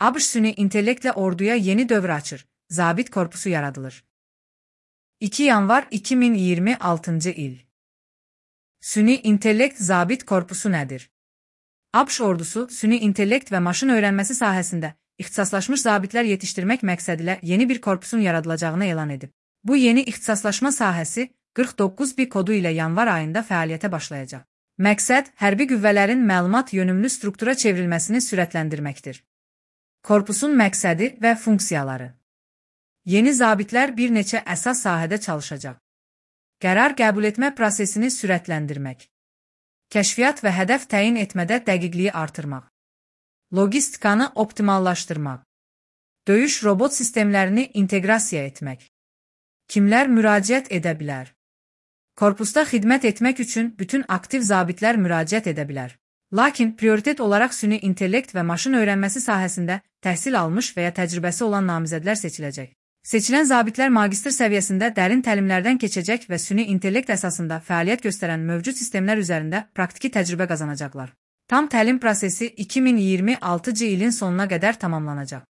ABŞ süni intellektlə orduya yeni dövr açır. Zabit korpusu yaradılır. 2 yanvar 2026 il. Süni intellekt zabit korpusu nədir? ABŞ ordusu süni intellekt və maşın öyrənməsi sahəsində ixtisaslaşmış zabitlər yetişdirmək məqsədilə yeni bir korpusun yaradılacağını elan edib. Bu yeni ixtisaslaşma sahəsi 49B kodu ilə yanvar ayında fəaliyyətə başlayacaq. Məqsəd, hərbi qüvvələrin məlumat yönümlü struktura çevrilməsini sürətləndirməkdir. Korpusun məqsədi və funksiyaları. Yeni zabitlər bir neçə əsas sahədə çalışacaq. Qərar qəbul etmə prosesini sürətləndirmək. Kəşfiyyat və hədəf təyin etmədə dəqiqliyi artırmaq. Logistikanı optimallaşdırmaq. Döyüş robot sistemlərini inteqrasiya etmək. Kimlər müraciət edə bilər? Korpusda xidmət etmək üçün bütün aktiv zabitlər müraciət edə bilər. Lakin prioritet olaraq süni intellekt və maşın öyrənməsi sahəsində təhsil almış və ya təcrübəsi olan namizədlər seçiləcək. Seçilən zabitlər magistr səviyyəsində dərin təlimlərdən keçəcək və süni intellekt əsasında fəaliyyət göstərən mövcud sistemlər üzərində praktiki təcrübə qazanacaqlar. Tam təlim prosesi 2026 ilin sonuna qədər tamamlanacaq.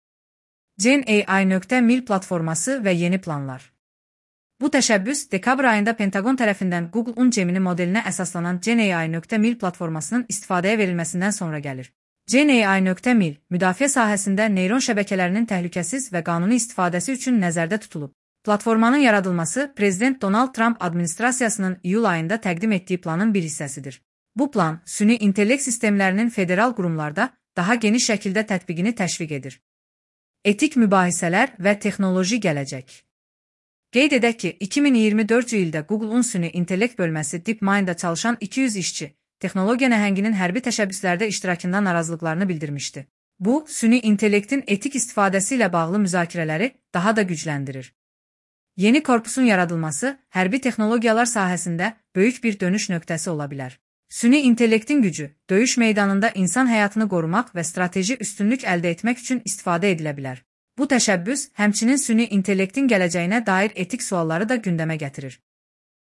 GenAI.mil platforması və yeni planlar. Bu təşəbbüs dekabr ayında Pentagon tərəfindən Google-un Gemini modelinə əsaslanan GenAI.mil platformasının istifadəyə verilməsindən sonra gəlir. GenAI.mil, müdafiə sahəsində neyron şəbəkələrinin təhlükəsiz və qanuni istifadəsi üçün nəzərdə tutulub. Platformanın yaradılması Prezident Donald Trump administrasiyasının iyul ayında təqdim etdiyi planın bir hissəsidir. Bu plan, süni intellekt sistemlərinin federal qurumlarda daha geniş şəkildə tətbiqini təşviq edir. Etik mübahisələr və texnoloji gələcək. Qeyd edək ki, 2024 ildə Google-un süni intellekt bölməsi DeepMind'da çalışan 200 işçi, texnologiya nəhənginin hərbi təşəbbüslərdə iştirakından narazılıqlarını bildirmişdi. Bu, süni intellektin etik istifadəsi ilə bağlı müzakirələri daha da gücləndirir. Yeni korpusun yaradılması, hərbi texnologiyalar sahəsində böyük bir dönüş nöqtəsi ola bilər. Süni intellektin gücü, döyüş meydanında insan həyatını qorumaq və strateji üstünlük əldə etmək üçün istifadə edilə bilər. Bu təşəbbüs, həmçinin süni intellektin gələcəyinə dair etik sualları da gündəmə gətirir.